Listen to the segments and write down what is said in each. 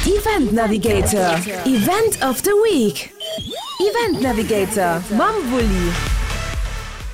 Event Navigator, Event of the Week. Event Navigator mam Wulli.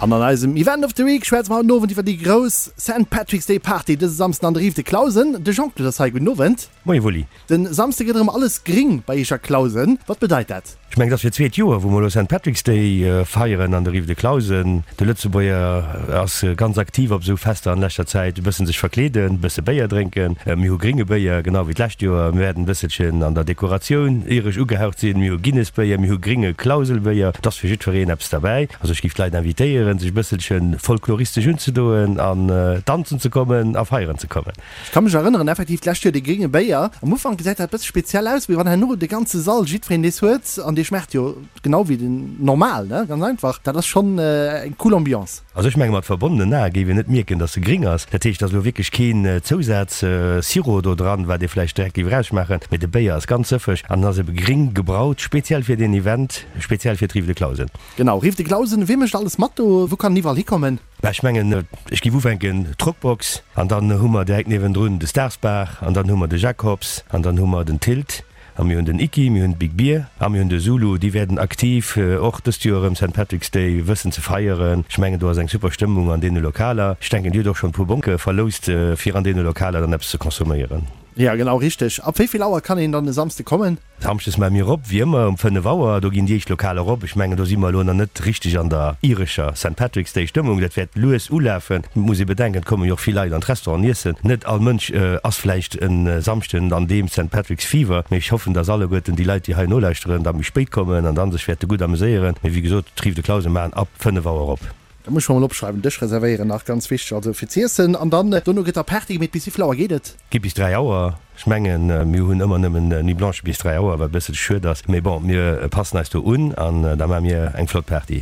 An an eisem Event of the Week schwätze mer haut den Owend iwwer déi grouss Saint Patrick's Day Party dëse Samsden an der Rive de Clausen. De Jean-Claude ass hei. Gudden Owend. Moie Wulli. Den Samsde gëtt erëm alles gring bei iech a Clausen. Wat bedeit dat? Ech mengen, et ass fir d'zweet Joer, wou mer elo Saint Patrick's Day feieren an der Rive de Clausen. De Lëtzebuerger ass ganz aktiv op esou Fester an leschter Zäit. E bëssen sech verkleeden, e bësse Béier drénken. Mir hu gringe Béier, genau wéi d'lescht Joer. Mir wäerten e bësselchen an der Dekoratioun iresch ugehaucht sinn. Mir hu Guinness-Béier, mir hu gringe Clauselbéier. Et ass fir jiddwereen eppes derbäi. Also ech géif d'Leit invitéieren, sech e bësselche folkloristesch unzedoen an danzen ze kommen a feieren ze kommen. Ech ka mech erënneren, effektiv d'lescht Joer dee grénge Béier. Am Ufank gesäit dat e bësse speziell aus, mee wann herno de ganze Sall jiddwereen dees huet an dee schmaacht jo genau wéi den normal, ne, ganz einfach, dat ass schonn eng cool Ambiance. Also ech menge mat verbonnenen Ae géif een net mierken, dass se gring ass. Dat heescht, et ass elo wierklech keen Zousaz-Sirop do dran, wat ee vläicht direkt géif erausschmaachen, mee de Béier ass ganz sëffeg an en ass ebe gring gebraut, speziell fir deen Event, speziell fir d'Rive de Clausen. Genau, Rive de Clausen. Wee mécht alles mat do? Wou kann en iwwerall hikommen? Bah, ech mengen, ech géif ufänken, d'Rockbox, an dann hu mer direkt niewendrun de Stars Bar, an dann hu mer de Jacobs, an dann hu mer den Tilt, a mir hunn den Iki, mir hunn d'Big Beer a mir hunn de Zulu. Déi wäerten aktiv och dëst Joer erëm Saint Patrick's Day wëssen ze feieren. Ech mengen, do ass eng super Stëmmung an deene Lokaler. Ech denken, Dir hutt och schonn e puer Bonke verloust, fir an deene Lokaler dann eppes ze consomméieren. Jo, genau richteg. Ab wéi vill Auer kann een dann e Samsde kommen? Samschdes maache mir op, wéi ëmmer, um 5 Auer. Do ginn déi éischt Lokaler op. Ech mengen, do si mer elo nach net richteg an der irescher Saint Patrick's Day Stëmmung. Dat wäert lues ulafen. Et muss ee bedenken, et komme jo och vill Leit an d'Restauranten iessen. Net all Mënsch ass vläicht e Samschden an deem Saint Patrick's Fever. Mee ech hoffen, dass alleguerten déi Leit, déi hei nolauschteren, da méi spéit kommen an dann sech wäerte gutt ameséieren. Mee wéi gesot, d'Rive de Clausen maachen ab 5 Auer op. Dat muss ech mer mol opschreiwen. Dësch reservéieren nach, ganz wichteg, also fir z'iessen. An dann dono gëtt da Party gemeet. Bis wéivill Auer geet et? Geet bis 3 Auer. Ech mengen, mir hunn ëmmer nëmmen Nuit blanche bis 3 Auer, wat e bësselche schued ass. Mee bon, mir passen eis do un an da maache mir eng flott Party.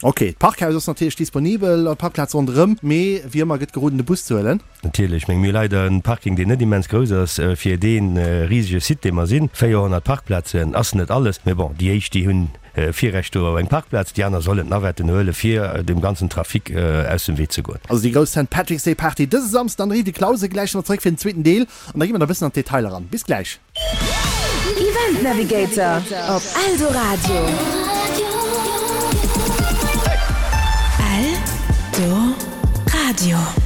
Ok, d'Parkhaus ass natierlech disponibel an d'Parkplaz ronderëm, mee wéi ëmmer gëtt geroden de Bus ze huelen. Natierlech, meng mir hu leider en Parking deen net immens grouss ass fir dee risege Site dee mer sinn. 400 Parkplazen ass net alles, mee bon, déi éischt déi hunn Virrecht do op eng Parkplaz, déi aner sollen d'Navetten huelen, fir dem ganzen Trafic aus dem Wee ze goen. Also déi grouss Saint Patrick's Day Party dëse Samsden an der Rive de Clausen. Gläich si mer zeréck fir den zweeten Deel an da gi mer da bëssen an d'Detailer eran. Bis gläich. Event Navigator op Eldoradio. Eldoradio.